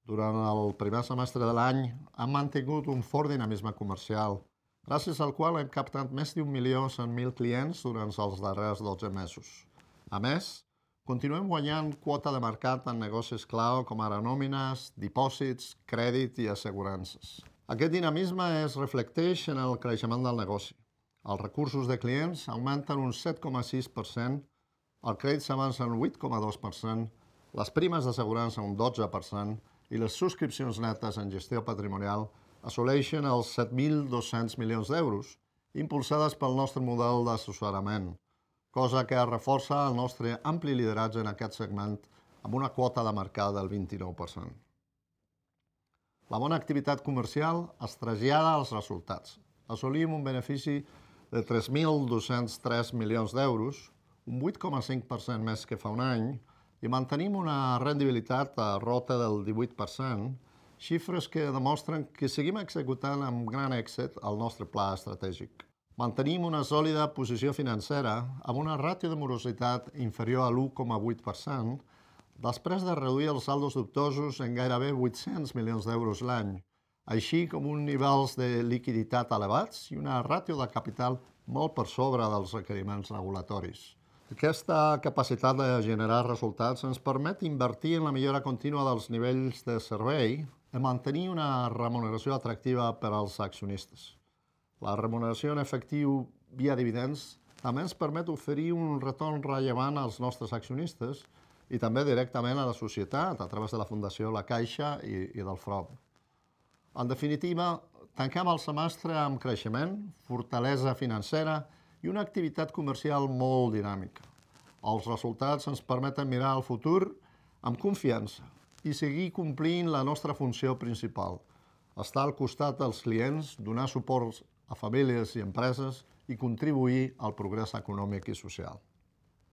Durant el primer semestre de l'any hem mantingut un fort dinamisme comercial, gràcies al qual hem captat més d'1.100.000 clients durant els darrers 12 mesos. A més, continuem guanyant quota de mercat en negocis clau com ara nòmines, dipòsits, crèdit i assegurances. Aquest dinamisme es reflecteix en el creixement del negoci. Els recursos de clients augmenten un 7,6%, el crèdit s'avança un 8,2%, les primes d'assegurança un 12% i les subscripcions netes en gestió patrimonial assoleixen els 7.200 milions d'euros, impulsades pel nostre model d'assessorament, cosa que reforça el nostre ampli lideratge en aquest segment amb una quota de mercat del 29%. La bona activitat comercial es trasllada als resultats. Assolim un benefici de 3.203 milions d'euros, un 8,5% més que fa un any, i mantenim una rendibilitat a rota del 18%, xifres que demostren que seguim executant amb gran èxit el nostre pla estratègic. Mantenim una sòlida posició financera amb una ràtio de morositat inferior a l'1,8%, després de reduir els saldos dubtosos en gairebé 800 milions d'euros l'any, així com uns nivells de liquiditat elevats i una ràtio de capital molt per sobre dels requeriments regulatoris. Aquesta capacitat de generar resultats ens permet invertir en la millora contínua dels nivells de servei i mantenir una remuneració atractiva per als accionistes. La remuneració en efectiu via dividends també ens permet oferir un retorn rellevant als nostres accionistes i també directament a la societat a través de la Fundació La Caixa i del FROB. En definitiva, tanquem el semestre amb creixement, fortalesa financera i una activitat comercial molt dinàmica. Els resultats ens permeten mirar al futur amb confiança i seguir complint la nostra funció principal, estar al costat dels clients, donar suport a famílies i empreses i contribuir al progrés econòmic i social.